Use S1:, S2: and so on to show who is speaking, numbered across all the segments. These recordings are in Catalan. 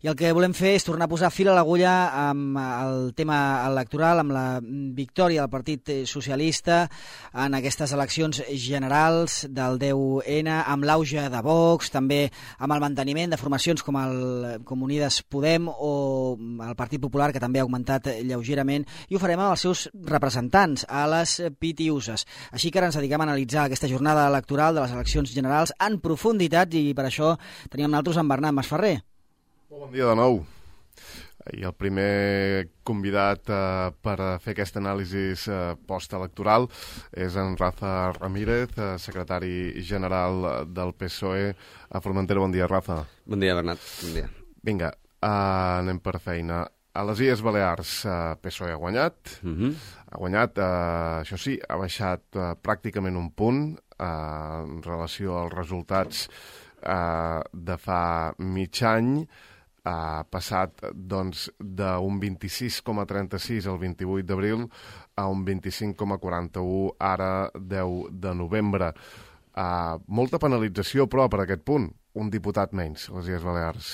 S1: I el que volem fer és tornar a posar fil a l'agulla amb el tema electoral, amb la victòria del Partit Socialista en aquestes eleccions generals del 10N, amb l'auge de Vox, també amb el manteniment de formacions com Unides Podem o el Partit Popular, que també ha augmentat lleugerament, i ho farem amb els seus representants a les Pitiuses. Així que ara ens dediquem a analitzar aquesta jornada electoral de les eleccions generals en profunditat, i per això teníem nosaltres en Bernat Masferrer.
S2: Bon dia de nou. I el primer convidat per fer aquesta anàlisi postelectoral és en Rafa Ramírez, secretari general del PSOE a Formentera. Bon dia, Rafa.
S3: Bon dia, Bernat. Bon dia.
S2: Vinga, anem per feina. A les Illes Balears, PSOE ha guanyat. Ha guanyat, això sí, ha baixat pràcticament un punt en relació als resultats de fa mig any. Ha passat doncs, d'un 26,36 el 28 d'abril a un 25,41 ara 10 de novembre. Molta penalització, però, per aquest punt. Un diputat menys, a les Illes Balears.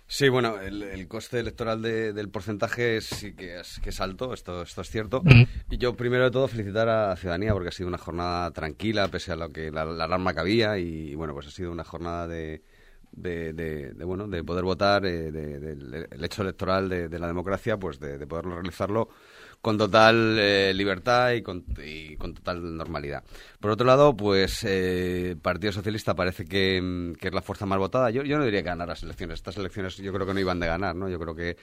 S3: Sí, bueno, el coste electoral del porcentaje sí que es alto, esto es cierto. Y yo, primero de todo, felicitar a la ciudadanía porque ha sido una jornada tranquila, pese a lo que la alarma que había, y bueno, pues ha sido una jornada de poder votar, el hecho electoral de la democracia, pues de poderlo realizarlo con total libertad y con total normalidad. Por otro lado, pues Partido Socialista parece que es la fuerza más votada. Yo no diría que ganar las elecciones. Estas elecciones yo creo que no iban de ganar, ¿no? Yo creo que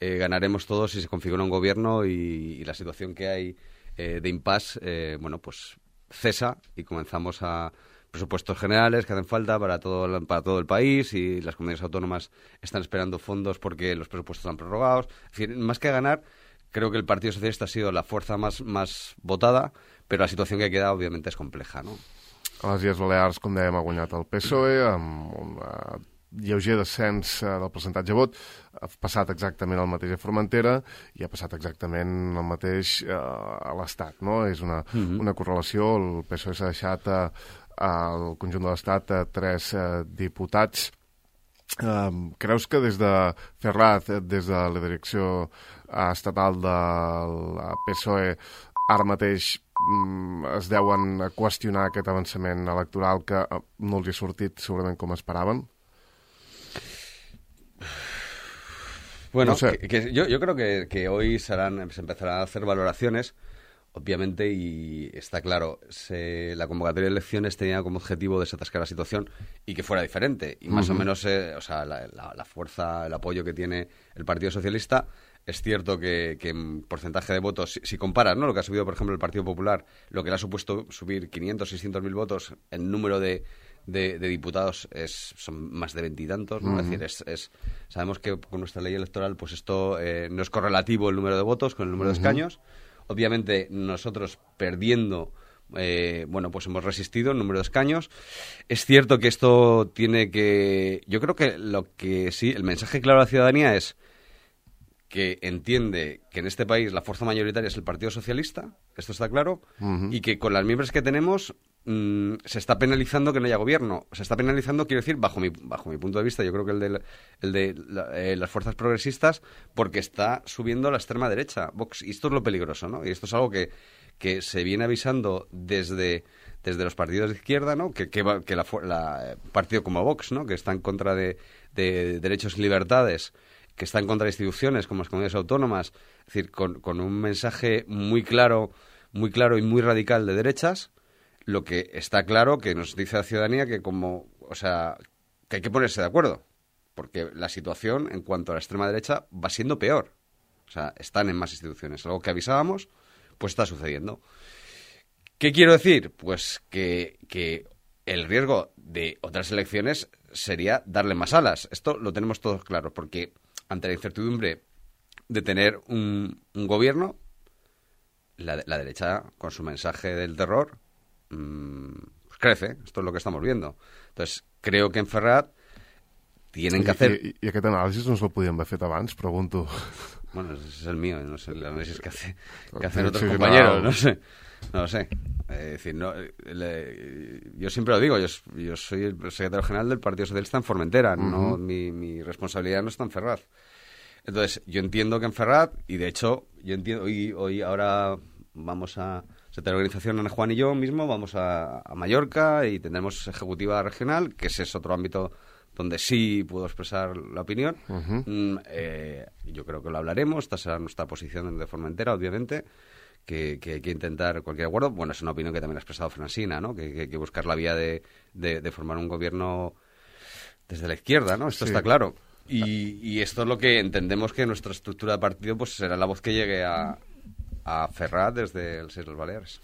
S3: ganaremos todos si se configura un gobierno y la situación que hay de impasse, pues cesa y comenzamos a presupuestos generales que hacen falta para todo el país, y las comunidades autónomas están esperando fondos porque los presupuestos están prorrogados. Es decir, más que ganar, creo que el Partido Socialista ha sido la fuerza más votada, però la situació que ha quedat, òbviament, és compleja, no?
S2: A les Illes Balears, com dèiem, ha guanyat el PSOE amb un lleuger descens del percentatge de vot. Ha passat exactament el mateix a Formentera i ha passat exactament el mateix a l'Estat, no? És una correlació. El PSOE s'ha deixat al conjunt de l'Estat 3 diputats. Creus que des de Ferraz, des de la direcció estatal del PSOE, ara mateix es deuen qüestionar aquest avançament electoral que no els ha sortit segurament com esperaven?
S3: Bueno, no sé. Yo creo que hoy se empezarán a hacer valoraciones, obviamente, y está claro, la convocatoria de elecciones tenía como objetivo desatascar la situación y que fuera diferente. Y más o menos, la fuerza, el apoyo que tiene el Partido Socialista. Es cierto que en porcentaje de votos, si comparas, ¿no?, lo que ha subido, por ejemplo, el Partido Popular, lo que le ha supuesto subir 500, 600.000 votos, el número de diputados son más de 20 y tantos, ¿no? Es decir, sabemos que con nuestra ley electoral, pues esto no es correlativo el número de votos con el número de escaños. Obviamente, nosotros perdiendo, pues hemos resistido el número de escaños. Es cierto que esto tiene que... Yo creo que el mensaje claro a la ciudadanía es que entiende que en este país la fuerza mayoritaria es el Partido Socialista, esto está claro, y que con las miembros que tenemos se está penalizando que no haya gobierno. Se está penalizando, quiero decir, bajo mi punto de vista, yo creo que el de las fuerzas progresistas, porque está subiendo la extrema derecha, Vox, y esto es lo peligroso, ¿no? Y esto es algo que se viene avisando desde los partidos de izquierda, ¿no? Que partido como Vox, ¿no?, que está en contra de derechos y libertades, que está en contra de instituciones como las comunidades autónomas, es decir, con un mensaje muy claro y muy radical de derechas. Lo que está claro que nos dice la ciudadanía que que hay que ponerse de acuerdo, porque la situación en cuanto a la extrema derecha va siendo peor. O sea, están en más instituciones. Algo que avisábamos, pues está sucediendo. ¿Qué quiero decir? Pues que el riesgo de otras elecciones sería darle más alas. Esto lo tenemos todos claro, porque ante la incertidumbre de tener un gobierno, la derecha, con su mensaje del terror, pues crece. Esto es lo que estamos viendo. Entonces, creo que en Ferrat tienen que hacer...
S2: I aquest anàlisi no ens el podíem haver fet abans, pregunto.
S3: Bueno, ese es el mío, no sé el análisis que hacen otros compañeros, no lo sé. Es decir, yo siempre lo digo, yo soy el secretario general del Partido Socialista en Formentera, no, mi responsabilidad no está en Ferraz. Entonces, yo entiendo que en Ferraz, y de hecho, yo entiendo, ahora vamos a Secretaría de Organización, Ana Juan y yo mismo, vamos a Mallorca y tendremos ejecutiva regional, que ese es otro ámbito donde sí puedo expresar la opinión. Yo creo que lo hablaremos, esta será nuestra posición de Formentera, obviamente, que hay que intentar cualquier acuerdo. Bueno, es una opinión que también ha expresado Francina, ¿no? Que hay que buscar la vía de formar un gobierno desde la izquierda, ¿no? Esto está claro. Y esto es lo que entendemos que nuestra estructura de partido pues será la voz que llegue a Ferraz desde els Illes Balears.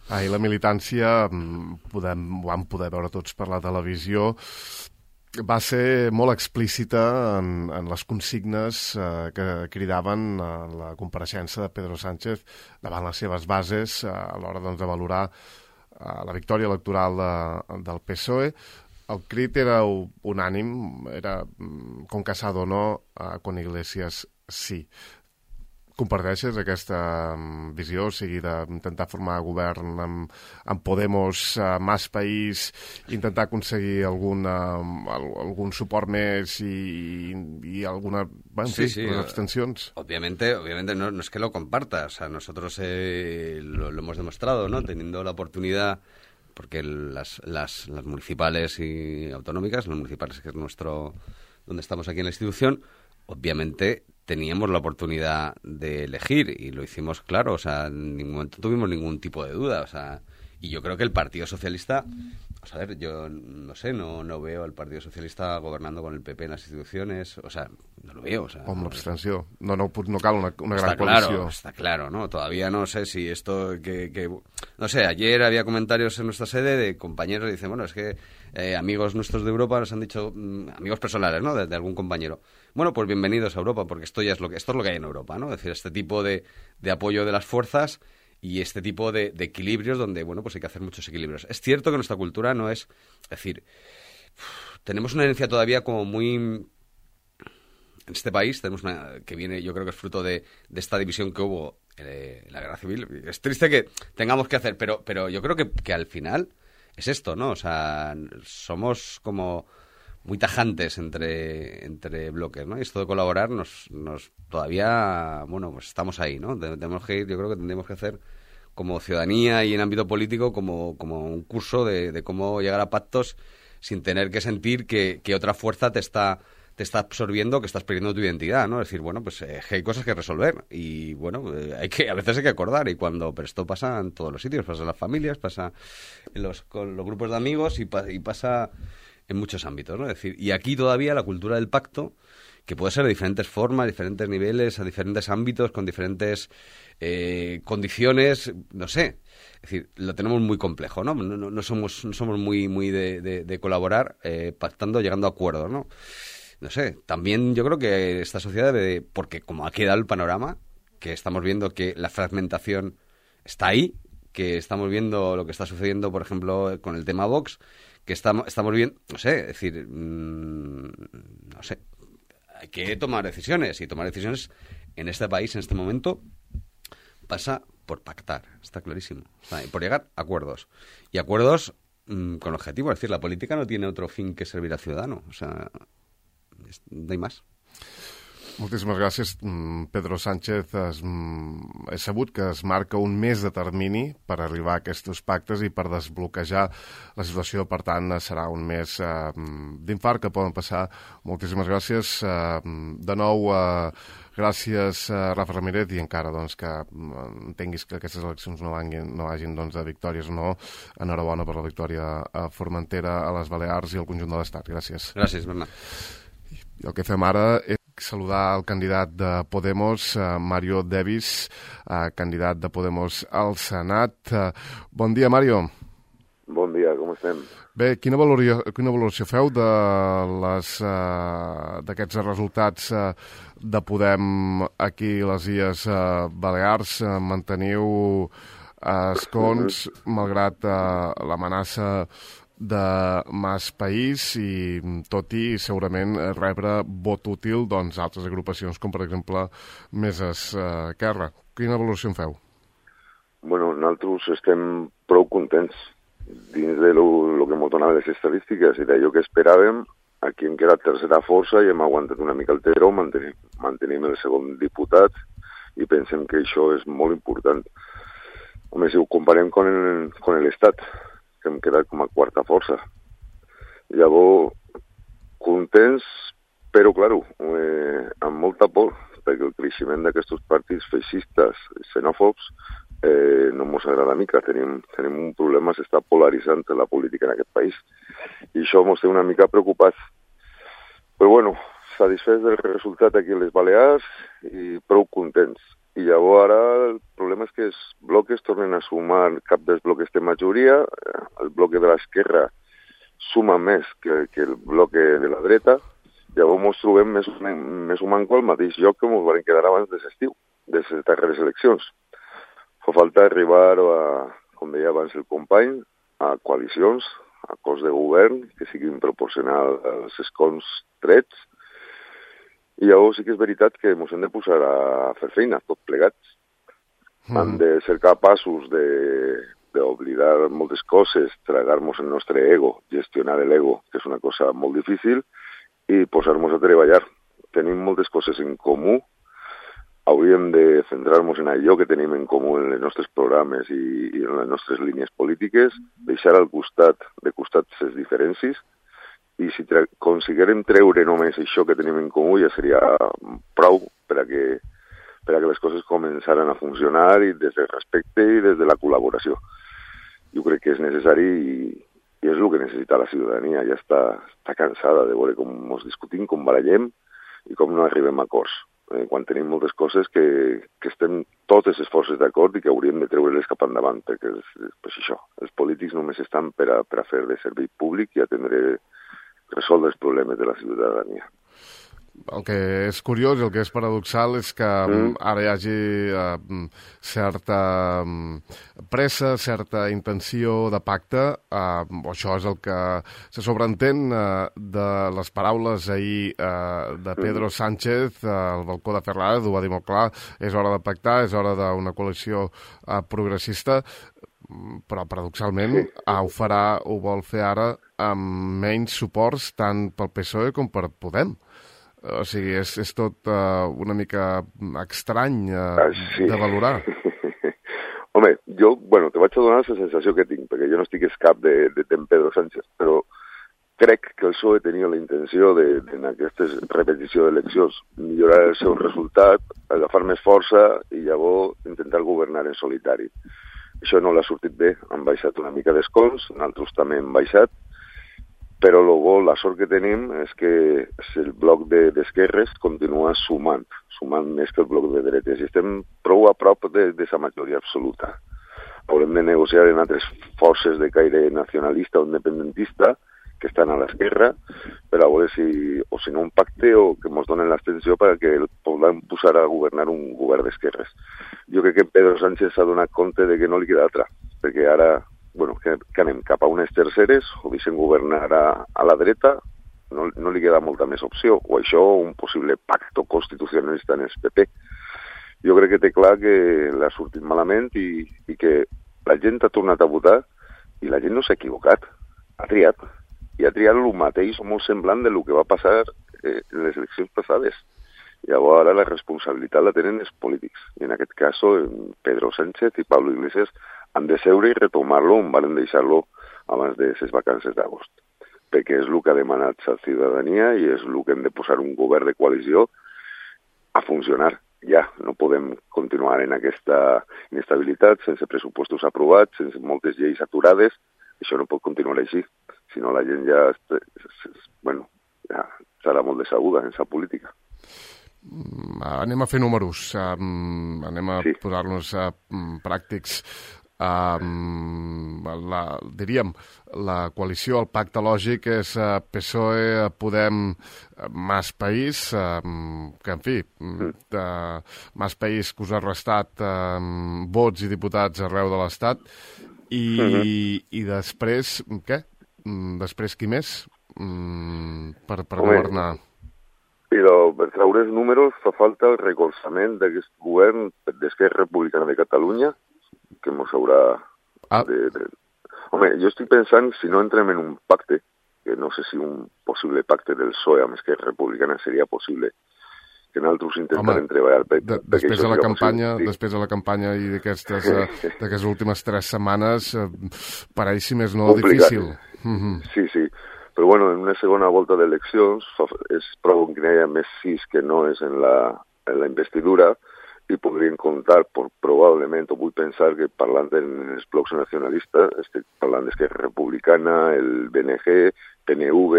S2: I la militància, vam poder veure tots per la televisió, va ser molt explícita en les consignes que cridaven la compareixença de Pedro Sánchez davant les seves bases a l'hora de valorar la victòria electoral del PSOE. El crit era unànim, era con Casado no, con Iglesias sí. Comparteixes aquesta visió, o sigui, d'intentar formar govern amb Podemos, Mas País, intentar aconseguir algun suport més y alguna, abstencions?
S3: Obviamente no es que lo comparta, o sea, nosotros lo hemos demostrado, ¿no? Teniendo la oportunidad, porque las municipales y autonómicas, las municipales que es donde estamos aquí en la institución, obviamente teníamos la oportunidad de elegir y lo hicimos claro, o sea, en ningún momento tuvimos ningún tipo de duda, o sea, y yo creo que el Partido Socialista, a ver, yo no sé, no veo al Partido Socialista gobernando con el PP en las instituciones, o sea, no lo veo, o sea...
S2: Con l'abstenció, no cal una gran coalició.
S3: Está claro, ¿no? Todavía no sé si esto no sé, ayer había comentarios en nuestra sede de compañeros que dicen, bueno, es que amigos nuestros de Europa nos han dicho, amigos personales, ¿no? De algún compañero. Bueno, pues bienvenidos a Europa, porque esto es lo que hay en Europa, ¿no? Es decir, este tipo de apoyo de las fuerzas y este tipo de equilibrios donde, bueno, pues hay que hacer muchos equilibrios. Es cierto que nuestra cultura no es decir, tenemos una herencia todavía como muy... En este país tenemos que viene, yo creo que es fruto de esta división que hubo en la Guerra Civil. Es triste que tengamos que hacer, pero yo creo que al final es esto, ¿no? O sea, somos como muy tajantes entre bloques, ¿no? Y esto de colaborar nos todavía, bueno, pues estamos ahí, ¿no? Tenemos que ir, yo creo que tendríamos que hacer como ciudadanía y en ámbito político como un curso de cómo llegar a pactos sin tener que sentir que otra fuerza te está absorbiendo, que estás perdiendo tu identidad, ¿no? Es decir, bueno, pues hay cosas que resolver y, bueno, a veces hay que acordar pero esto pasa en todos los sitios, pasa en las familias, pasa con los grupos de amigos y pasa en muchos ámbitos, ¿no? Es decir, y aquí todavía la cultura del pacto, que puede ser de diferentes formas, diferentes niveles, a diferentes ámbitos, con diferentes condiciones, no sé. Es decir, lo tenemos muy complejo, ¿no? No somos muy de colaborar, pactando, llegando a acuerdos, ¿no? No sé, también yo creo que esta sociedad debe porque como ha quedado el panorama, que estamos viendo que la fragmentación está ahí, que estamos viendo lo que está sucediendo, por ejemplo, con el tema Vox, que estamos viendo, no sé, es decir, no sé, hay que tomar decisiones, y tomar decisiones en este país, en este momento, pasa por pactar, está clarísimo, por llegar a acuerdos, y acuerdos con objetivo, es decir, la política no tiene otro fin que servir al ciudadano, o sea, no hay más.
S2: Moltíssimes gràcies, Pedro Sánchez. He sabut que es marca un mes de termini per arribar a aquests pactes i per desbloquejar la situació. Per tant, serà un mes d'infart que poden passar. Moltíssimes gràcies. De nou, gràcies, Rafa Ramírez, i encara que entenguis que aquestes eleccions no hagin de victòries o no. Enhorabona per la victòria a Formentera, a les Balears i al conjunt de l'Estat. Gràcies.
S3: Gràcies, Bernat.
S2: I el que fem ara és saludar el candidat de Podemos, Mario Davis, candidat de Podemos al Senat. Bon dia, Mario.
S4: Bon dia, com estem?
S2: Bé, quina valoració feu d'aquests resultats de Podem aquí a les Illes Balears? Manteniu escons, malgrat l'amenaça de Mas País i tot i segurament rebre vot útil doncs, altres agrupacions com per exemple Més Esquerra. Quina valoració en feu?
S4: Bueno, nosaltres estem prou contents dins de lo que ens donaven les estadístiques i d'allò que esperàvem. Aquí hem quedat tercera força i hem aguantat una mica el terror, mantenim el segon diputat i pensem que això és molt important. Home, si ho comparem con l'Estat, que hem quedat com a quarta força. Llavors, contents, però, claro, amb molta por, perquè el creixement d'aquests partits feixistes i xenòfobs no ens agrada mica. Tenim un problema, s'està polaritzant la política en aquest país. I això ens té una mica preocupats. Però, bueno, satisfets del resultat aquí a les Balears i prou contents. I llavors ara el problema és que els blocs tornen a sumar, cap dels blocs té majoria, el bloc de l'esquerra suma més que el bloc de la dreta, llavors ens trobem més o manco al mateix lloc que ens van quedar abans de l'estiu, de les darreres eleccions. Fa falta arribar, com deia abans el company, a coalicions, a acords de govern, que siguin proporcionals als escons trets, i llavors sí que és veritat que ens hem de posar a fer feina, tots plegats. Hem de ser capaços d'oblidar moltes coses, tragar-nos el nostre ego, gestionar l'ego, que és una cosa molt difícil, i posar-nos a treballar. Tenim moltes coses en comú, hauríem de centrar-nos en allò que tenim en comú en els nostres programes i en les nostres línies polítiques, deixar de costat les diferències, i si aconseguirem treure només això que tenim en comú ja seria prou per a que les coses començaran a funcionar i des del respecte i des de la col·laboració. Jo crec que és necessari i és el que necessita la ciutadania. Ja està cansada de veure com ens discutim, com barallem i com no arribem a acords. Quan tenim moltes coses que estem totes les forces d'acord i que hauríem de treure-les cap endavant, perquè és això, els polítics només estan per a fer de servei públic i atendre resoldre els problemes de la ciutadania.
S2: El que és curiós i el que és paradoxal és que ara hi hagi certa pressa, certa intenció de pacte. Això és el que se sobreentén de les paraules ahir de Pedro Sánchez al balcó de Ferraz, ho va dir molt clar, és hora de pactar, és hora d'una coalició progressista, però paradoxalment ho farà, ho vol fer ara amb menys suports tant pel PSOE com per Podem. O sigui, és tot una mica estrany de valorar.
S4: Home, jo, te vaig a donar la sensació que tinc, perquè jo no estic cap de Pedro Sánchez, però crec que el PSOE tenia la intenció en aquesta repetició d'eleccions millorar el seu resultat, agafar més força i llavors intentar governar en solitari. Això no l'ha sortit bé, han baixat una mica d'escons, nosaltres també hem baixat, però la sort que tenim és que el bloc d'esquerres continua sumant més que el bloc de dretes, i estem prou a prop de la majoria absoluta. Haurem de negociar en altres forces de caire nacionalista o independentista que estan a l'esquerra per a veure si no un pacte o que ens donen l'extensió perquè podem posar a governar un govern d'esquerres. Jo crec que Pedro Sánchez s'ha donat compte de que no li queda altra, perquè ara que anem cap a unes terceres o deixem governar a la dreta, no li queda molta més opció, o això o un possible pacte constitucionalista en el PP. Jo crec que té clar que l'ha sortit malament i que la gent ha tornat a votar i la gent no s'ha equivocat, ha triat. I ha triat el mateix o molt semblant del que va passar en les eleccions passades. Llavors ara la responsabilitat la tenen els polítics. I en aquest cas Pedro Sánchez i Pablo Iglesias han de seure i retomar-lo on van deixar-lo abans de les vacances d'agost. Perquè és el que ha demanat la ciutadania i és el que hem de posar un govern de coalició a funcionar. Ja, no podem continuar en aquesta inestabilitat, sense pressupostos aprovats, sense moltes lleis aturades. Això no pot continuar així. Si no, la gent ja serà molt decebuda en la política.
S2: Anem a fer números, anem a posar-nos pràctics. Diríem, la coalició, el pacte lògic és PSOE, Podem, Mas País, que en fi, Mas País que us ha restat vots i diputats arreu de l'Estat, i després, què? després qui més per governar?
S4: Per treure els números fa falta el recolzament d'aquest govern d'Esquerra Republicana de Catalunya, que mos haurà Home, jo estic pensant, si no entrem en un pacte, que no sé si un possible pacte del PSOE amb Esquerra Republicana seria possible, que nosaltres intentarem treballar
S2: després de la campanya i d'aquestes últimes 3 setmanes pareix, si més no,
S4: complicat.
S2: Difícil.
S4: Sí, però bueno, en una segona volta d'eleccions és prou que n'hi hagi més sís que no és en la investidura, i podrien comptar probablement, o vull pensar que parlant dels blocs nacionalistes, estic parlant d'Esquerra Republicana, el BNG, PNV,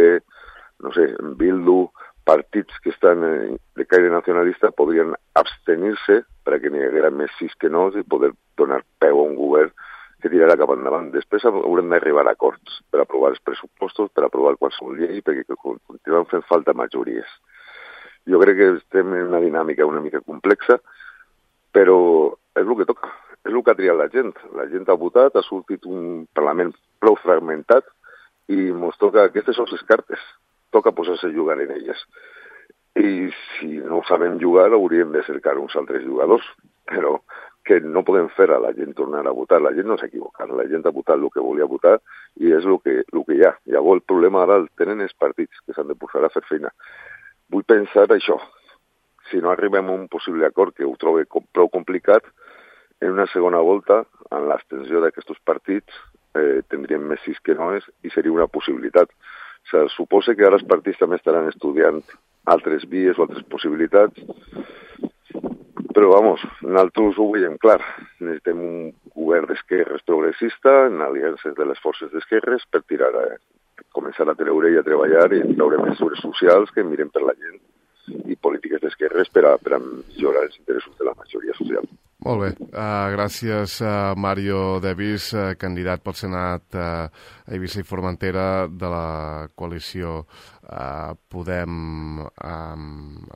S4: no sé, Bildu, partits que estan de caire nacionalista podrien abstenir-se perquè n'hi haguera més sís que no i poder donar peu a un govern que tirarà cap endavant. Després haurem d'arribar a acords per aprovar els pressupostos, per aprovar qualsevol llei, perquè continuen fent falta majories. Jo crec que estem en una dinàmica una mica complexa, però és el que toca, és el que ha triat la gent. La gent ha votat, ha sortit un Parlament prou fragmentat i ens toca, aquestes són les cartes, toca posar-se a jugar en elles. I si no sabem jugar hauríem de cercar uns altres jugadors, però que no podem fer a la gent tornar a votar. La gent no s'ha equivocat, la gent ha votat el que volia votar i és el que hi ha. Llavors el problema ara el tenen els partits que s'han de posar a fer feina. Vull pensar això. Si no arribem a un possible acord, que ho trobo prou complicat, en una segona volta, en l'extensió d'aquests partits, tindríem més sís que noes i seria una possibilitat. Suposa que ara els partits també estaran estudiant altres vies o altres possibilitats, però, nosaltres ho veiem clar. Necessitem un govern d'esquerres progressista, en aliances de les forces d'esquerres, per començar a treure i a treballar i treure mesures socials que miren per la gent i polítiques d'esquerres per a millorar els interessos de la majoria social.
S2: Molt bé. Gràcies, Mario Davis, candidat pel Senat a Eivissa i Formentera de la coalició Podem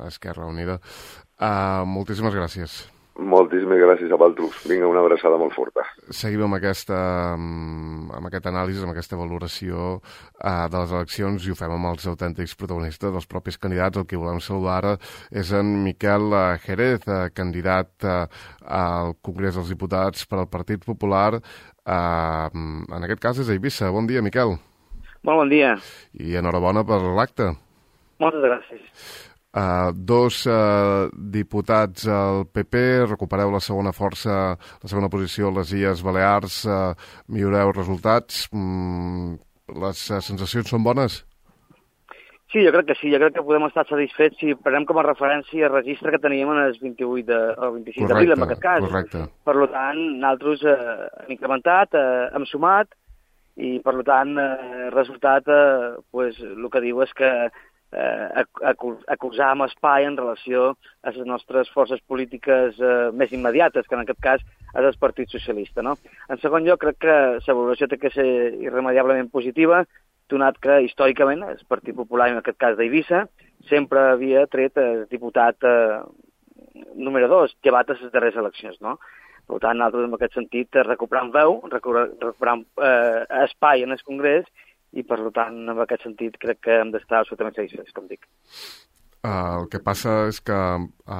S2: Esquerra Unida. Moltíssimes gràcies.
S4: Moltíssimes gràcies a vosaltres. Vinga, una abraçada molt forta.
S2: Seguim amb aquest anàlisi, amb aquesta valoració de les eleccions i ho fem amb els autèntics protagonistes, dels propis candidats. El que volem saludar ara és en Miquel Jerez, candidat al Congrés dels Diputats per al Partit Popular. En aquest cas és a Eivissa. Bon dia, Miquel.
S5: Molt bon dia.
S2: I enhorabona per l'acte.
S5: Moltes gràcies.
S2: 2 diputats al PP, recupereu la segona força, la segona posició a les Illes Balears, milloreu resultats. Les sensacions són bones?
S5: Sí, jo crec que sí. Jo crec que podem estar satisfets si prenem com a referència el registre que teníem en el 26 d'abril, en aquest cas.
S2: Correcte.
S5: Per tant, nosaltres hem incrementat, hem sumat, i per tant, el resultat, el que diu és que acusàvem espai en relació a les nostres forces polítiques més immediates, que en aquest cas és el Partit Socialista. No? En segon lloc, crec que la valoració té que ser irremediablement positiva, donat que històricament el Partit Popular, en aquest cas d'Eivissa, sempre havia tret el diputat número 2, llevat a les darreres eleccions. No? Per tant, nosaltres en aquest sentit recuperant veu, recuperant espai en el Congrés, i per tant, en aquest sentit, crec que hem d'estar absolutament satisfets, com dic.
S2: El que passa és que a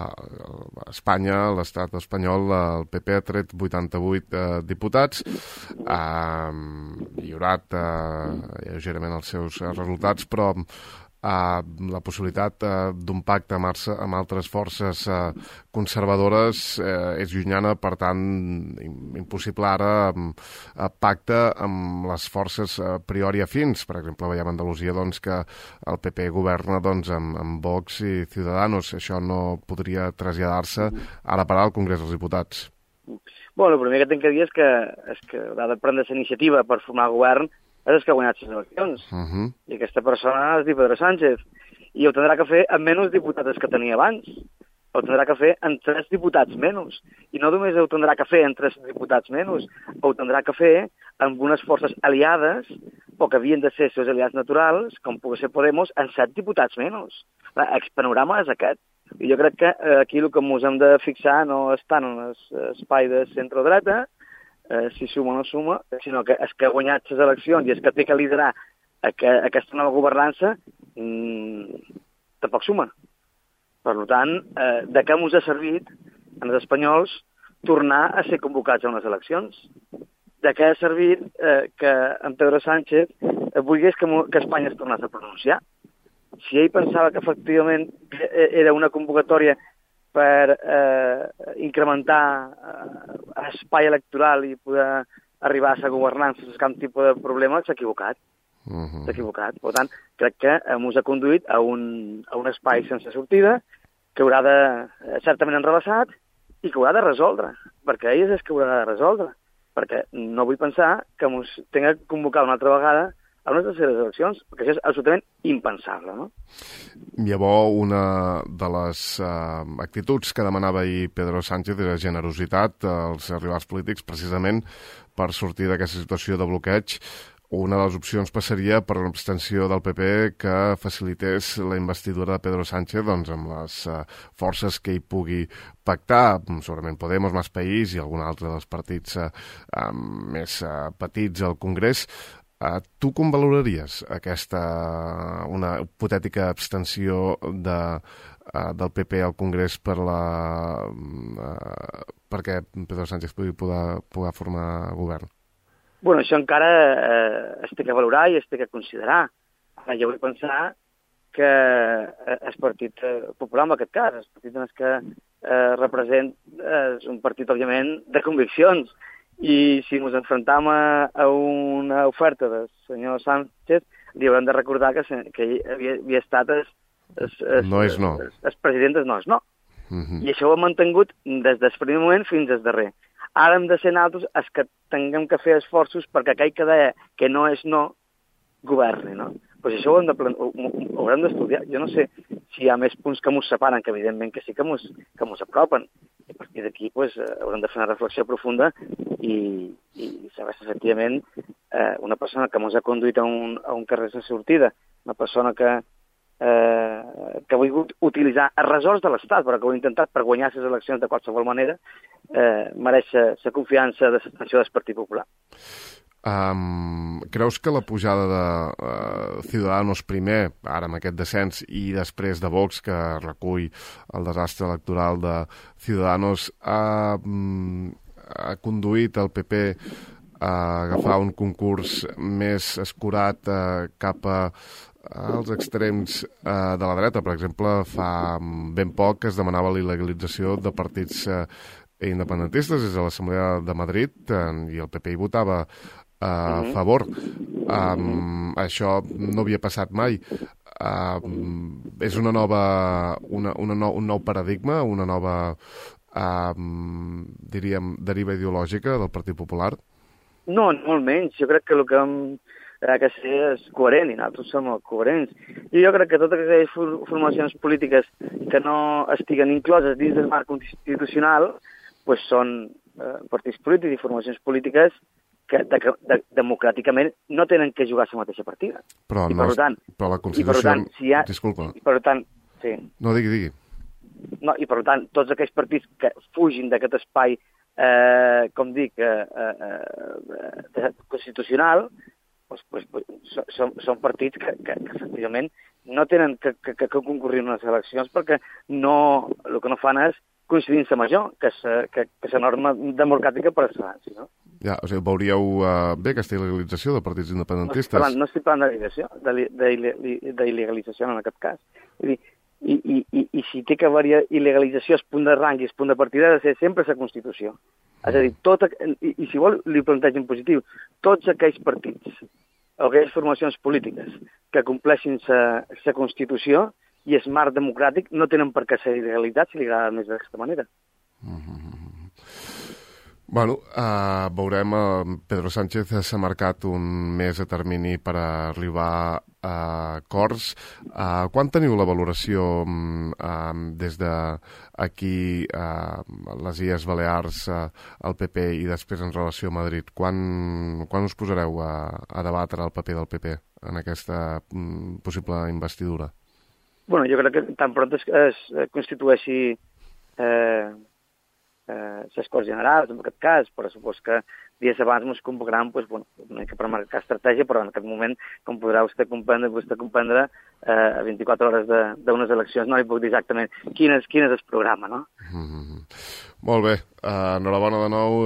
S2: Espanya, a l'estat espanyol, el PP ha tret 88 diputats, ha millorat lleugerament els seus resultats, però la possibilitat d'un pacte amb altres forces conservadores és llunyana, per tant, impossible ara pacte amb les forces a priori afins. Per exemple, veiem a Andalusia que el PP governa amb Vox i Ciudadanos. Això no podria traslladar-se ara per al Congrés dels Diputats.
S5: Bueno, el primer que tinc que dir és que ha de prendre la iniciativa per formar govern és el que ha guanyat les eleccions. I aquesta persona és dir Pedro Sánchez. I ho tindrà que fer amb menys diputats que tenia abans. Ho tindrà que fer amb 3 diputats menys. I no només ho tindrà que fer amb 3 diputats menys, ho tindrà que fer amb unes forces aliades, o que havien de ser els seus aliats naturals, com pugui ser Podemos, amb 7 diputats menys. El panorama és aquest. I jo crec que aquí el que ens hem de fixar no és tant en l'espai de centre-dreta, si suma o no suma, sinó que el que ha guanyat les eleccions i el que té que liderar aquesta nova governança tampoc suma. Per tant, de què ens ha servit als espanyols tornar a ser convocats a unes eleccions? De què ha servit que en Pedro Sánchez volgués que Espanya es tornés a pronunciar? Si ell pensava que efectivament era una convocatòria per incrementar espai electoral i poder arribar a ser governant sense cap tipus de problema, s'ha equivocat. S'ha equivocat. Per tant, crec que ens ha conduït a un espai sense sortida que haurà de, certament enrevessat, i que haurà de resoldre, perquè ell és que haurà de resoldre, perquè no vull pensar que ens tinga que convocar una altra vegada a unes terceres eleccions, perquè això és absolutament impensable, no?
S2: Llavors, una de les actituds que demanava ahir Pedro Sánchez era generositat als rivals polítics, precisament per sortir d'aquesta situació de bloqueig. Una de les opcions passaria per l'abstenció del PP que facilités la investidura de Pedro Sánchez doncs, amb les forces que hi pugui pactar, segurament Podemos, Más País i algun altre dels partits més petits al Congrés. Tu com valoraries una hipotètica abstenció del PP al Congrés perquè Pedro Sánchez pugui poder formar govern?
S5: Bueno, això encara es té que valorar i es té que considerar. Ara jo vull pensar que el Partit Popular, en aquest cas, el partit en què representa, és un partit, òbviament, de conviccions. I si ens enfrontam a una oferta del senyor Sánchez, li haurem de recordar que ell havia estat el president del no és no. I això ho hem mantingut des del primer moment fins al darrer. Ara hem de ser nosaltres els que tinguem que fer esforços perquè aquell que deia que no és no, governi, no? Pues això ho haurem d'estudiar. Jo no sé si hi ha més punts que ens separen, que evidentment que sí que ens apropen. I a partir d'aquí pues, haurem de fer una reflexió profunda i saber si efectivament una persona que ens ha conduït a un carrer sense sortida, una persona que ha volgut utilitzar els ressorts de l'Estat, però que ho ha intentat per guanyar les eleccions de qualsevol manera, mereix la confiança de l'abstenció del Partit Popular.
S2: Creus que la pujada de Ciudadanos primer, ara amb aquest descens, i després de Vox, que recull el desastre electoral de Ciudadanos, ha conduït el PP a agafar un concurs més escurat cap als extrems de la dreta? Per exemple, fa ben poc que es demanava la il·legalització de partits independentistes des de l'Assemblea de Madrid i el PP hi votava a favor. Això no havia passat mai. És un nou paradigma, una nova, diríem, deriva ideològica del Partit Popular?
S5: No, molt menys. Jo crec que el que ha de ser és coherent, i nosaltres som coherents. I jo crec que totes aquelles formacions polítiques que no estiguen incloses dins del marc constitucional pues són partits polítics i formacions polítiques que democràticament no tenen que jugar a la mateixa partida.
S2: Però la Constitució... Disculpa.
S5: Per tant, sí.
S2: No, digui.
S5: No, i per tant, tots aquells partits que fugin d'aquest espai, com dic, constitucional, són partits que efectivament no tenen que concurrir en unes eleccions perquè el que no fan és coincidint-se amb això, que és la norma democràtica per excel·lència, no?
S2: Ja, o sigui, veuríeu bé aquesta il·legalització de partits independentistes?
S5: No estic parlant d'il·legalització en aquest cas. I si té que haver il·legalització es punt de rang i es punt de partida ha de ser sempre la Constitució. És a dir, i si vol li plantegin positiu, tots aquells partits o aquelles formacions polítiques que compleixin la Constitució i el marc democràtic no tenen per què ser il·legalitats si li agrada més d'aquesta manera.
S2: Bueno, veurem, Pedro Sánchez s'ha marcat un mes de termini per arribar a acords. Quan teniu la valoració des d'aquí a les Illes Balears, al PP i després en relació a Madrid? Quan us posareu a debatre el paper del PP en aquesta possible investidura?
S5: Jo crec que tan pront es constitueixi la majoria, el govern, doncs, jo crec que serà el moment. Jo crec que el PP, en aquest cas, no té res a perdre. Jo crec que el PP, si vol, li plantegin positiu. Jo crec que les Corts Generals, en aquest cas, però supos que dies abans ens convocaran, doncs, bueno, una mica per marcar estratègia, però en aquest moment, com podrà vostè comprendre, a 24 hores d'unes eleccions no li puc dir exactament quin és el programa, no?
S2: Molt bé, enhorabona de nou,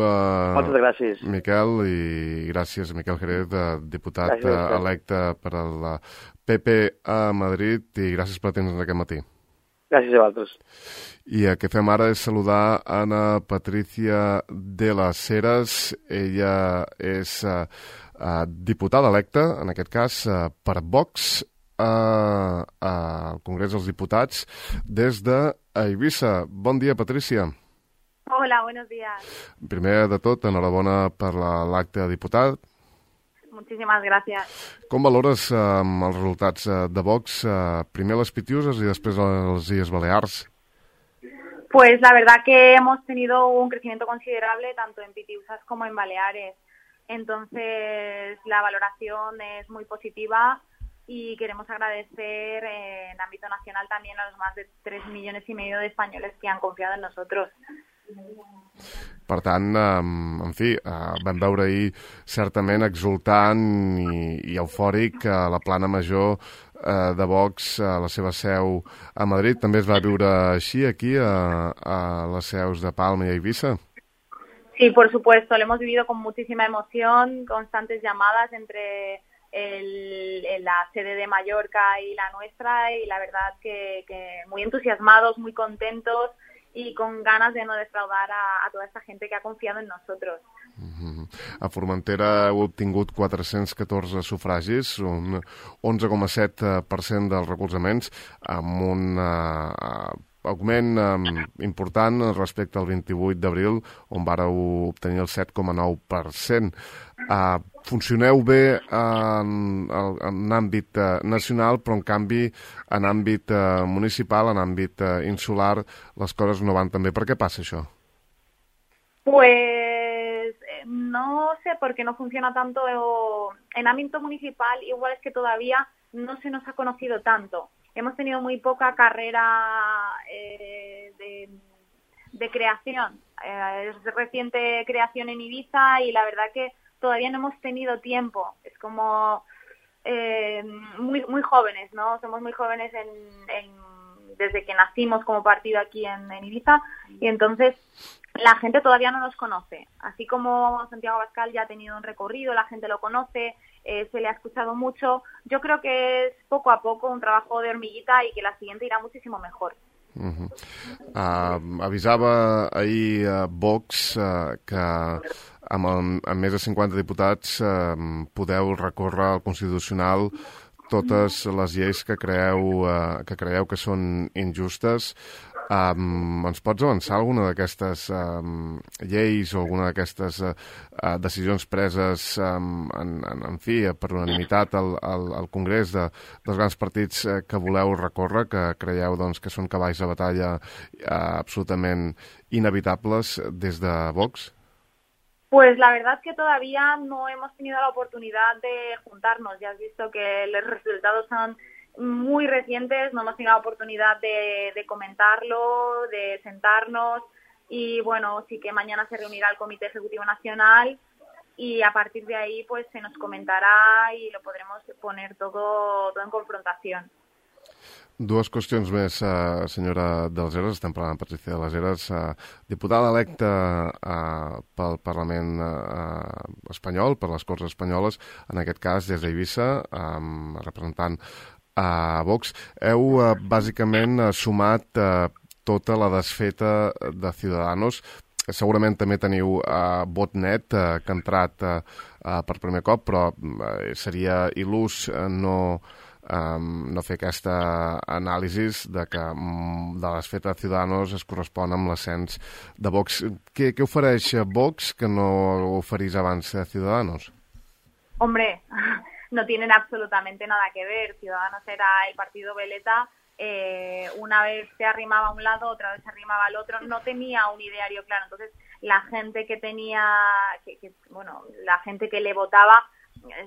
S5: moltes gràcies,
S2: Miquel, i gràcies, Miquel Jerez, diputat electe per al PP a Madrid, i gràcies per atendre'ns aquest matí.
S5: Gràcies a vosaltres.
S2: I el que fem ara és saludar Ana Patricia de las Heras. Ella és diputada electa, en aquest cas, per Vox al Congrés dels Diputats des d'Eivissa. Bon dia, Patricia.
S6: Hola, buenos días.
S2: Primer de tot, enhorabona per l'acte de diputat.
S6: Muchísimas gracias.
S2: Com valores els resultats de Vox, primer les Pitiuses i després les Illes Balears?
S6: Pues la verdad que hemos tenido un crecimiento considerable tanto en Pitiusas como en Baleares. Entonces la valoración es muy positiva y queremos agradecer en ámbito nacional también a los más de 3,5 millones de españoles que han confiado en nosotros.
S2: Per tant, en fi, vam veure ahir certament exultant i eufòric a la plana major de Vox, a la seva seu a Madrid. També es va viure així aquí, a les seus de Palma i Eivissa?
S6: Sí, por supuesto, lo hemos vivido con muchísima emoción, constantes llamadas entre la sede de Mallorca y la nuestra, y la verdad que muy entusiasmados, muy contentos, y con ganas de no defraudar a toda esta gente que ha confiado en nosotros.
S2: A Formentera heu obtingut 414 sufragis, un 11,7% dels recolzaments, amb un augment important respecte al 28 d'abril, on vàreu obtenir el 7,9%. Funcioneu bé en àmbit nacional, però en canvi en àmbit municipal, en àmbit insular, les coses no van tan bé. Per què passa això?
S6: Pues no sé por qué no funciona tanto en ámbito municipal, igual es que todavía no se nos ha conocido tanto. Hemos tenido muy poca carrera de creación. Es reciente creación en Ibiza y la verdad que todavía no hemos tenido tiempo. Es como muy jóvenes, ¿no? Somos muy jóvenes desde que nacimos como partido aquí en Ibiza, y entonces la gente todavía no nos conoce. Así como Santiago Abascal ya ha tenido un recorrido, la gente lo conoce, se le ha escuchado mucho. Yo creo que es poco a poco un trabajo de hormiguita y que la siguiente irá muchísimo mejor.
S2: Avisava ahir Vox que amb més de 50 diputats podeu recórrer al Constitucional totes les lleis que creieu que són injustes. Ens pots avançar alguna d'aquestes lleis o alguna d'aquestes decisions preses en fi, per unanimitat al Congrés dels grans partits que voleu recórrer, que creieu doncs, que són cavalls de batalla absolutament inevitables des de Vox?
S6: Pues la verdad que todavía no hemos tenido la oportunidad de juntarnos. Ya has visto que los resultados son muy recientes, no hemos tenido la oportunidad de comentarlo, de sentarnos, y bueno, sí que mañana se reunirá el Comité Ejecutivo Nacional y a partir de ahí pues se nos comentará y lo podremos poner todo en confrontación.
S2: Dues qüestions més, senyora de les Heras. Estem parlant amb Patricia de les Heras, diputada electa pel Parlament espanyol, per les Corts Espanyoles, en aquest cas des d'Eivissa, representant a Vox. Heu bàsicament sumat tota la desfeta de Ciudadanos. Segurament també teniu Votnet, que ha entrat per primer cop, però seria il·lús no fer aquesta anàlisi de que de les fetes de Ciudadanos es correspon amb l'ascens de Vox. Què ofereix Vox que no oferís abans Ciudadanos?
S6: Hombre, no tienen absolutamente nada que ver. Ciudadanos era el partido veleta, una vez se arrimaba a un lado, otra vez se arrimaba al otro, no tenía un ideario claro. Entonces la gente que tenía, la gente que le votaba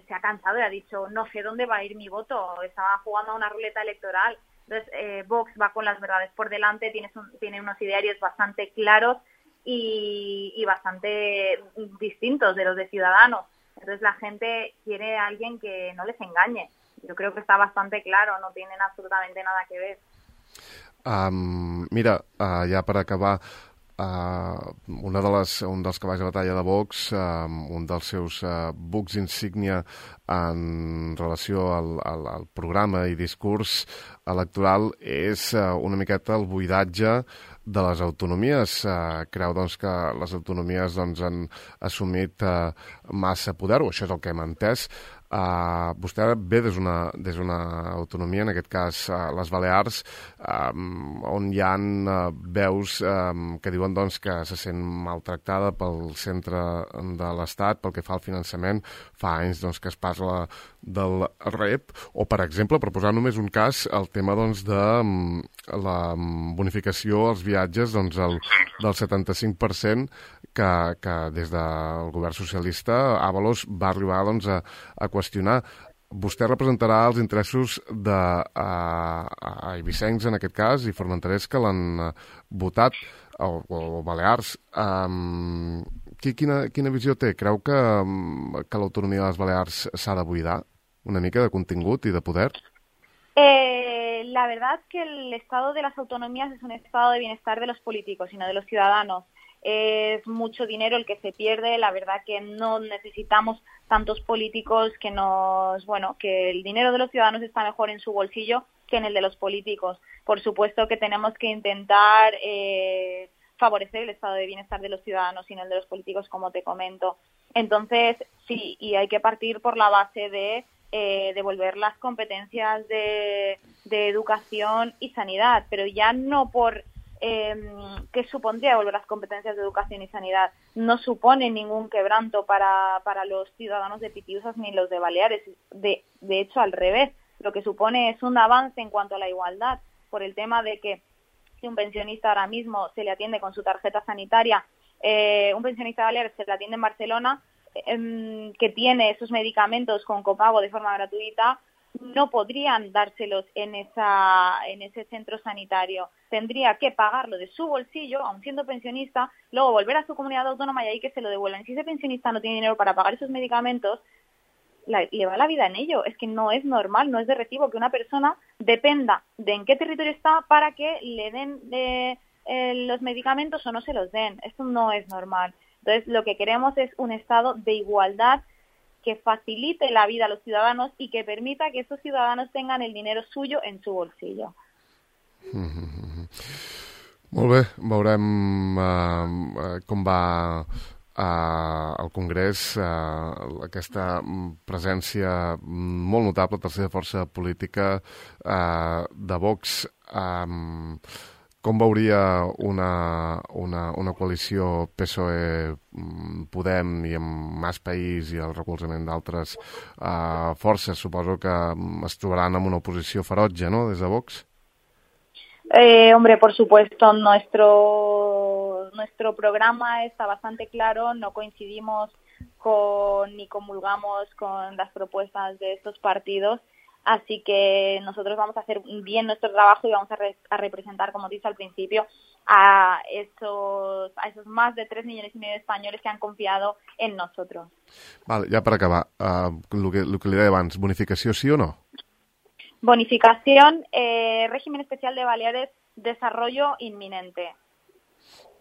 S6: se ha cansado y ha dicho, no sé dónde va a ir mi voto, estaba jugando a una ruleta electoral. Entonces Vox va con las verdades por delante, tiene unos idearios bastante claros y bastante distintos de los de Ciudadanos. Entonces la gente quiere a alguien que no les engañe. Yo creo que está bastante claro, no tienen absolutamente nada que ver.
S2: Mira, ja per acabar, un dels cavalls de batalla de Vox, un dels seus bucs insígnia en relació al programa i discurs electoral és una miqueta el buidatge de les autonomies. Creu doncs, que les autonomies han assumit massa poder, o això és el que hem entès. Vostè ve des d'una autonomia, en aquest cas les Balears, on hi ha veus que diuen doncs, que se sent maltractada pel centre de l'Estat pel que fa al finançament. Fa anys doncs, que es parla del REP, o per exemple, per posar només un cas, el tema doncs, de la bonificació als viatges doncs, del 75% que des del govern socialista Ábalos va arribar doncs, a qüestionar. Vostè representarà els interessos d'eivissencs, en aquest cas, i formenterers que l'han votat, o balears. Quina visió té? Creu que l'autonomia de les Balears s'ha de buidar una mica de contingut i de poder?
S6: La verdad que el estado de las autonomías es un estado de bienestar de los políticos y no de los ciudadanos. Es mucho dinero el que se pierde. La verdad que no necesitamos tantos políticos que que el dinero de los ciudadanos está mejor en su bolsillo que en el de los políticos. Por supuesto que tenemos que intentar favorecer el estado de bienestar de los ciudadanos y no el de los políticos, como te comento. Entonces, sí, y hay que partir por la base de devolver las competencias de educación y sanidad, pero ya no por ¿qué supondría devolver las competencias de educación y sanidad? No supone ningún quebranto para los ciudadanos de Pitiusas ni los de Baleares. De hecho, al revés, lo que supone es un avance en cuanto a la igualdad, por el tema de que si un pensionista ahora mismo se le atiende con su tarjeta sanitaria, un pensionista de Baleares se le atiende en Barcelona, que tiene esos medicamentos con copago de forma gratuita, no podrían dárselos en ese centro sanitario. Tendría que pagarlo de su bolsillo, aun siendo pensionista, luego volver a su comunidad autónoma y ahí que se lo devuelvan. Y si ese pensionista no tiene dinero para pagar esos medicamentos, le va la vida en ello. Es que no es normal, no es de recibo que una persona dependa de en qué territorio está para que le den los medicamentos o no se los den. Esto no es normal. Entonces, lo que queremos es un estado de igualdad que facilite la vida a los ciudadanos y que permita que esos ciudadanos tengan el dinero suyo en su bolsillo.
S2: Molt bé, veurem com va al Congrés aquesta presència molt notable, tercera força política de Vox. Com veuria una coalició PSOE-Podem i amb Mas País i el recolzament d'altres forces? Suposo que es trobaran amb una oposició ferotge, ¿no?, des de Vox.
S6: Hombre, por supuesto, nuestro programa está bastante claro, no coincidimos ni comulgamos con las propuestas de estos partidos. Así que nosotros vamos a hacer bien nuestro trabajo y vamos a representar, como te dije al principio, a esos más de 3,5 millones de españoles que han confiado en nosotros.
S2: Vale, ja per acabar, el que li deia abans, bonificació sí o no?
S6: Bonificación, régimen especial de Baleares, desarrollo inminente.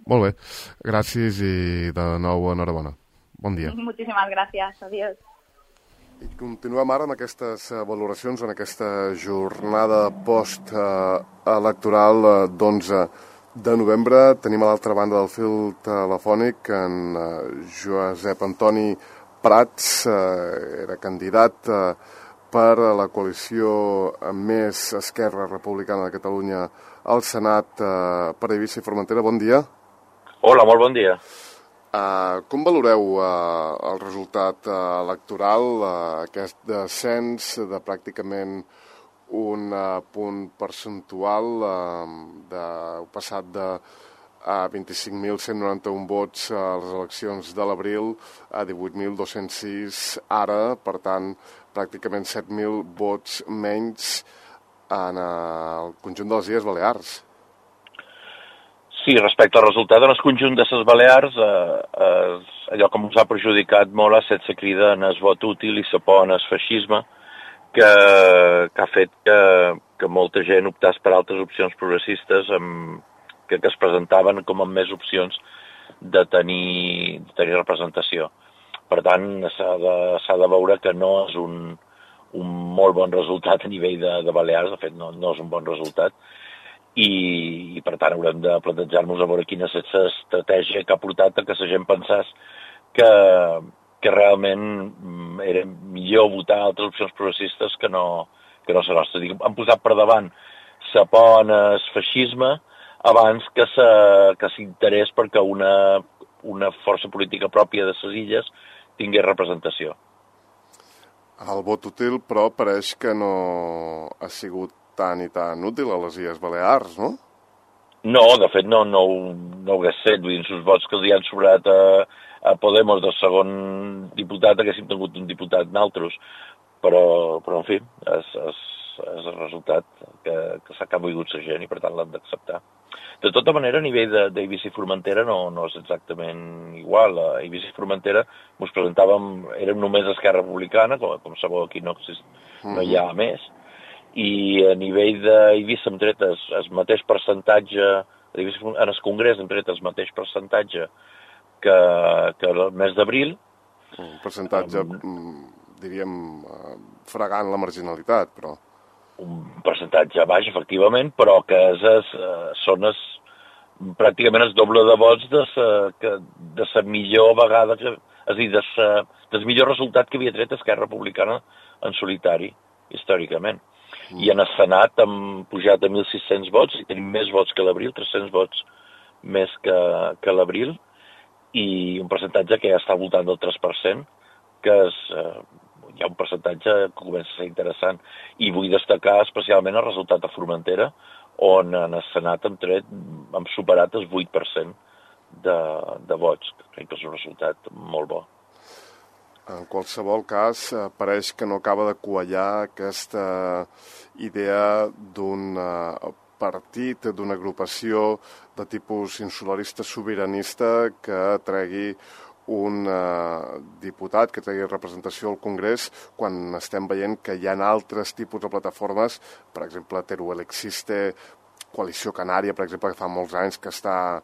S2: Molt bé, gràcies i de nou enhorabona. Bon dia.
S6: Muchísimas gracias, adiós.
S2: I continuem ara amb aquestes valoracions en aquesta jornada post-electoral d'11 de novembre. Tenim a l'altra banda del fil telefònic en Josep Antoni Prats, era candidat per la coalició Més Esquerra Republicana de Catalunya al Senat per Eivissa i Formentera. Bon dia.
S7: Hola, molt bon dia.
S2: Com valoreu el resultat electoral, aquest descens de pràcticament un punt percentual, passat de 25.191 vots a les eleccions de l'abril a 18.206 ara, per tant, pràcticament 7.000 vots menys en el conjunt de les Illes Balears?
S7: Sí, respecte al resultat en el conjunt de les Balears, allò que ens ha perjudicat molt ha estat la crida en el vot útil i la por en el feixisme, que ha fet que molta gent optàs per altres opcions progressistes que es presentaven com amb més opcions de tenir representació. Per tant, s'ha de veure que no és un molt bon resultat a nivell de Balears, de fet no és un bon resultat, i per tant haurem de plantejar-nos a veure quina és l'estratègia que ha portat a que la gent pensés que realment era millor votar altres opcions progressistes que no la nostra. Han posat per davant la por en el feixisme abans que s'interès perquè una força política pròpia de les illes tingués representació.
S2: El vot útil, però, pareix que no ha sigut tan i tan útil a les Illes Balears, no?
S7: No, de fet no ho hagués fet. Vull dir, els vots que els hi han sobrat a Podemos del segon diputat haguéssim tingut un diputat naltros. Però en fi, és el resultat que s'ha volgut la gent i per tant l'han d'acceptar. De tota manera, a nivell d'Eivissa i Formentera no és exactament igual. A Eivissa i Formentera ens presentàvem, érem només Esquerra Republicana, com sabeu aquí no hi ha més, i a nivell d'Eivissa hem tret el mateix percentatge, en el Congrés hem tret el mateix percentatge que el mes d'abril.
S2: Un percentatge, diríem, fregant la marginalitat, però...
S7: Un percentatge baix, efectivament, però que són pràcticament el doble de vots de la millor vegada, és a dir, del millor resultat que havia tret Esquerra Republicana en solitari, històricament. I en el Senat hem pujat a 1.600 vots i tenim més vots que l'abril, 300 vots més que l'abril, i un percentatge que ja està al voltant del 3%, que hi ha un percentatge que comença a ser interessant. I vull destacar especialment el resultat a Formentera, on en el Senat hem superat el 8% de vots. Crec que és un resultat molt bo.
S2: En qualsevol cas, pareix que no acaba de quallar aquesta idea d'un partit, d'una agrupació de tipus insularista sobiranista que tregui un diputat, que tregui representació al Congrés, quan estem veient que hi ha altres tipus de plataformes, per exemple, Teruel Existe, Coalició Canària, per exemple, que fa molts anys que està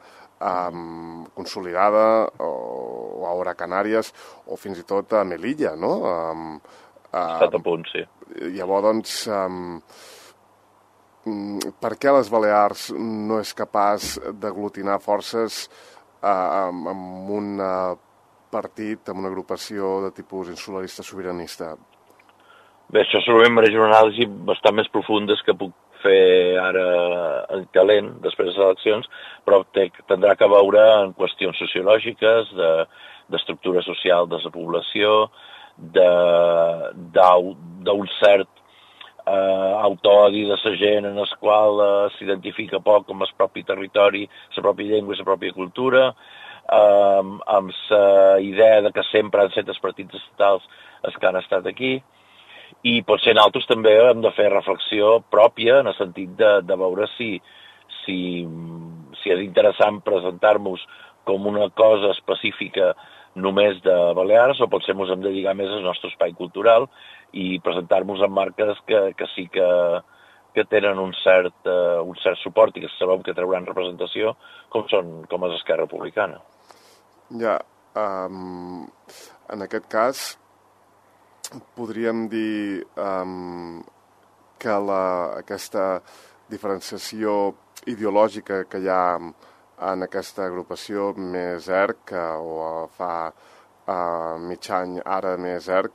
S2: consolidada, o Ahora Canàries, o fins i tot a Melilla, no?
S7: Estat a punt, sí.
S2: Llavors, per què les Balears no és capaç d'aglutinar forces amb un partit, amb una agrupació de tipus insularista sobiranista?
S7: Bé, això segurament mereix una anàlisi bastant més profunda que puc fer ara en calent, després de les eleccions, però tindrà que veure en qüestions sociològiques, d'estructura social de la població, d'un cert autoodi de la gent en el qual s'identifica poc amb el propi territori, la pròpia llengua i la pròpia cultura, amb la idea de que sempre han estat els partits estatals els que han estat aquí, i potser nosaltres també hem de fer reflexió pròpia en el sentit de veure si és interessant presentar-nos com una cosa específica només de Balears, o potser ens hem de dedicar més al nostre espai cultural i presentar-nos en marques que sí que tenen un cert suport i que sabem que trauran representació, com és Esquerra Republicana.
S2: Ja, en aquest cas podríem dir que aquesta diferenciació ideològica que hi ha en aquesta agrupació més ERC, o fa mig any ara més ERC,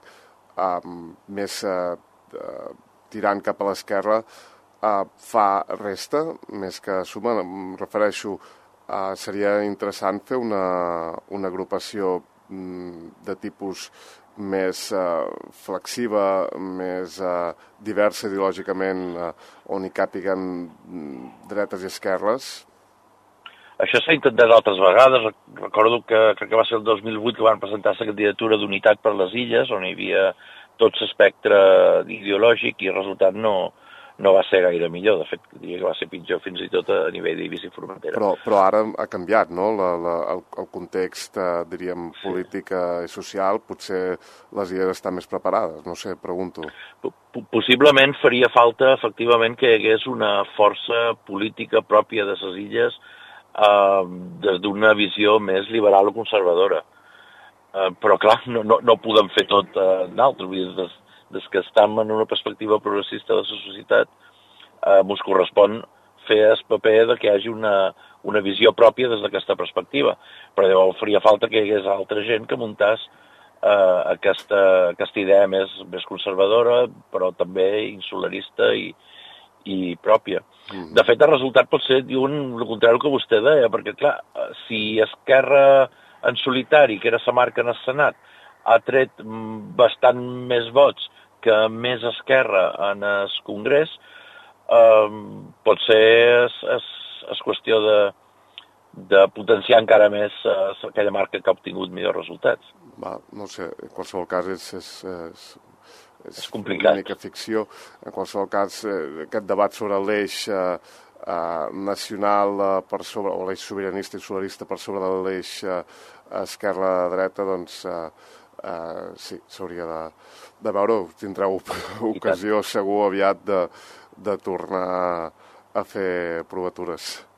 S2: més tirant cap a l'esquerra, fa resta, més que suma. Em refereixo, seria interessant fer una agrupació de tipus més flexiva, més diversa ideològicament, on hi càpiguen dretes i esquerres?
S7: Això s'ha intentat altres vegades. Recordo que crec que va ser el 2008 que van presentar la candidatura d'Unitat per les Illes, on hi havia tot l'espectre ideològic, i el resultat no no va ser gaire millor. De fet, diria que va ser pitjor fins i tot a nivell d'Eivissa i Formentera.
S2: Però ara ha canviat, no? El context, diríem, polític i social, potser les illes estan més preparades, no sé, pregunto.
S7: Possiblement faria falta, efectivament, que hi hagués una força política pròpia de les illes des d'una visió més liberal o conservadora. Però, clar, no podem fer tot nosaltres. Des que estem en una perspectiva progressista de la societat, ens correspon fer el paper de que hi hagi una visió pròpia des d'aquesta perspectiva. Però llavors faria falta que hi hagués altra gent que muntàs aquesta idea més conservadora, però també insularista i pròpia. De fet, el resultat pot ser, diuen, el contrari que vostè deia, perquè, clar, si Esquerra en solitari, que era la marca en el Senat, ha tret bastant més vots que més Esquerra en el Congrés, potser és qüestió de potenciar encara més aquella marca que ha obtingut millors resultats.
S2: No sé, en qualsevol cas
S7: és complicat.
S2: Una mica ficció. En qualsevol cas, aquest debat sobre l'eix nacional per sobre, o l'eix sobiranista i solarista per sobre de l'eix esquerra-dreta, doncs sí, s'hauria de veure. Tindreu ocasió segur aviat de tornar a fer provatures.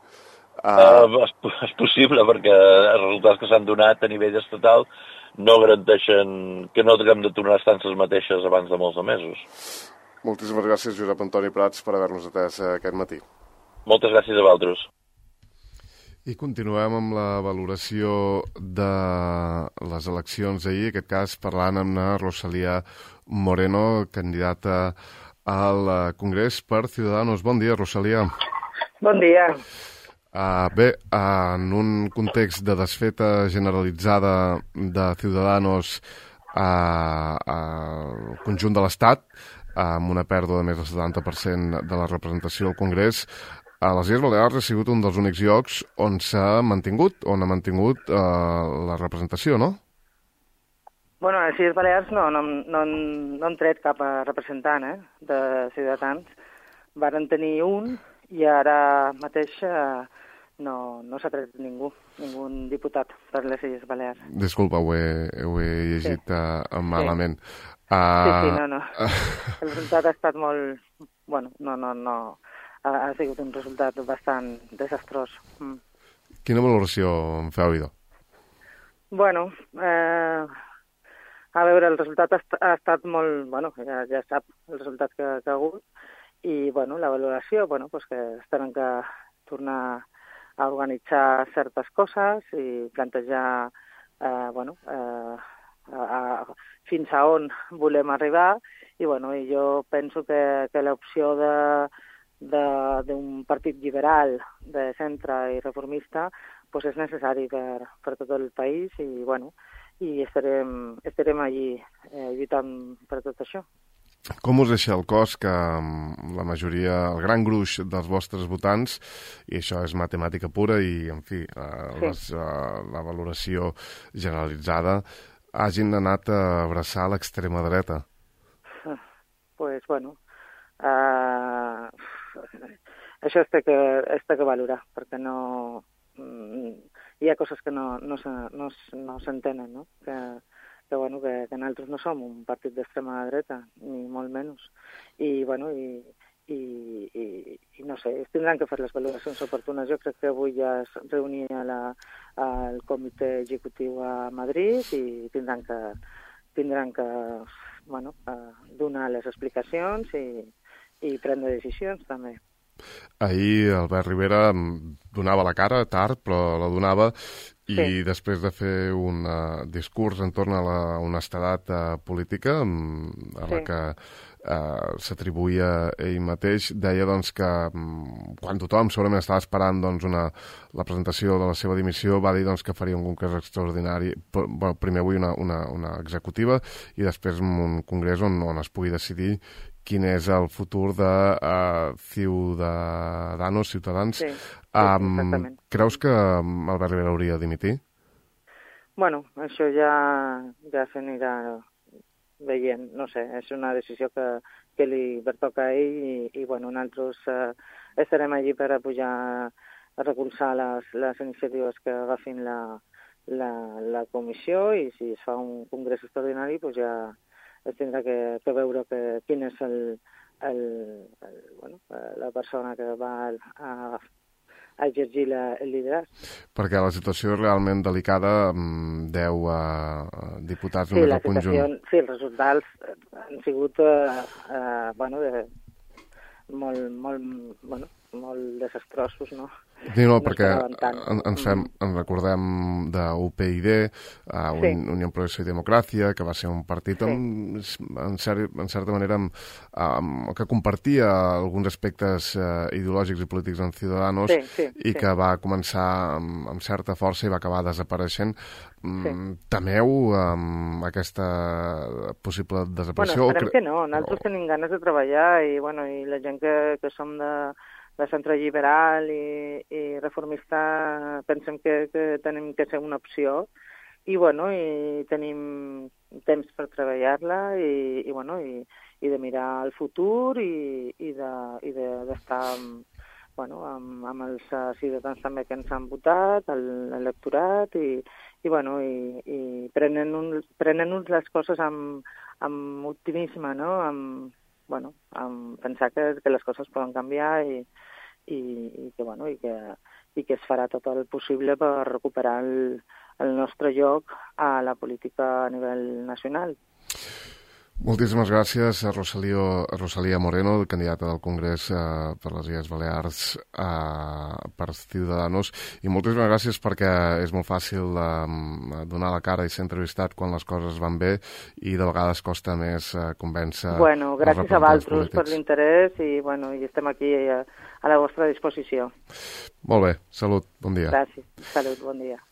S7: És possible, perquè els resultats que s'han donat a nivell estatal no garanteixen que no haguem de tornar a estar les mateixes abans de molts mesos.
S2: Moltíssimes gràcies, Josep Antoni Prats, per haver-nos atès aquest matí.
S7: Moltes gràcies a vosaltres.
S2: I continuem amb la valoració de les eleccions d'ahir, en aquest cas parlant amb la Rosalía Moreno, candidata al Congrés per Ciudadanos. Bon dia, Rosalía.
S8: Bon dia.
S2: Bé, en un context de desfeta generalitzada de Ciudadanos al conjunt de l'Estat, amb una pèrdua de més del 70% de la representació al Congrés, a les Illes Balears ha sigut un dels únics llocs on s'ha mantingut, la representació, no?
S8: Bueno, a les Illes Balears no han tret cap representant de Ciutadans. Varen tenir un i ara mateix no s'ha tret ningú diputat per les Illes Balears.
S2: Disculpa, ho he llegit malament.
S8: Sí, no. El resultat ha estat molt... Bueno, no. Ha sigut un resultat bastant desastrós.
S2: Quina valoració en feu, idò?
S8: Bueno, a veure, el resultat ha estat molt... Bueno, ja sap el resultat que ha hagut. I, bueno, la valoració, bueno, pues que tenen que tornar a organitzar certes coses i plantejar, fins a on volem arribar. I, bueno, jo penso que l'opció d'un partit liberal de centre i reformista pues és necessari per tot el país i, bueno, i estarem allí lluitant per tot això.
S2: Com us deixa el cos que la majoria, el gran gruix dels vostres votants, i això és matemàtica pura i, en fi, la valoració generalitzada, hagin anat a abraçar l'extrema dreta?
S8: Pues, bueno, això es té que valorar, perquè no... Hi ha coses que no s'entenen, no? Que nosaltres no som un partit d'extrema dreta, ni molt menys. I, bueno, i no sé, es tindran que fer les valoracions oportunes. Jo crec que avui ja es reunia el comitè executiu a Madrid i tindran que donar les explicacions i prendre decisions, també.
S2: Ahir Albert Rivera donava la cara, tard, però la donava, i després de fer un discurs entorn a la honestedat política, a la que s'atribuïa ell mateix, deia doncs, que quan tothom segurament estava esperant la presentació de la seva dimissió, va dir doncs, que faria un congrés extraordinari, primer avui una executiva i després un congrés on es pugui decidir quin és el futur de Ciutadans.
S8: Sí, exactament.
S2: Creus que Albert Rivera hauria de dimitir?
S8: Bueno, això ja s'anirà veient. No sé, és una decisió que que li pertoca a ell i bueno, nosaltres estarem allí per a pujar a recolzar les iniciatives que agafin la comissió i si es fa un congrés extraordinari pues ja es tindrà que veure quin és la persona que va a exergir el lideratge.
S2: Perquè la situació és realment delicada, 10 diputats només al conjunt.
S8: Sí, els resultats han sigut molt desastrosos, no?
S2: No, perquè ens recordem d'UPyD, Unió Progreso i Democràcia, que va ser un partit en certa manera que compartia alguns aspectes ideològics i polítics amb Ciudadanos i que va començar amb certa força i va acabar desapareixent. Temeu aquesta possible desaparició?
S8: Bueno, esperem que no. Nosaltres tenim ganes de treballar i la gent que som de centre liberal i reformista pensem que tenim que ser una opció i tenim temps per treballar-la i de mirar el futur i d'estar amb els ciutadans també que ens han votat, l'electorat i prenent-nos les coses amb optimisme, no? Amb pensar que les coses poden canviar i que es farà tot el possible per recuperar el nostre lloc a la política a nivell nacional.
S2: Moltíssimes gràcies a Rosalía Moreno, candidata del Congrés per les Illes Balears per Ciudadanos, i moltíssimes gràcies perquè és molt fàcil donar la cara i ser entrevistat quan les coses van bé i de vegades costa més convèncer.
S8: Gràcies a vosaltres per l'interès i estem aquí a la vostra disposició.
S2: Molt bé, salut, bon dia.
S8: Gràcies, salut, bon dia.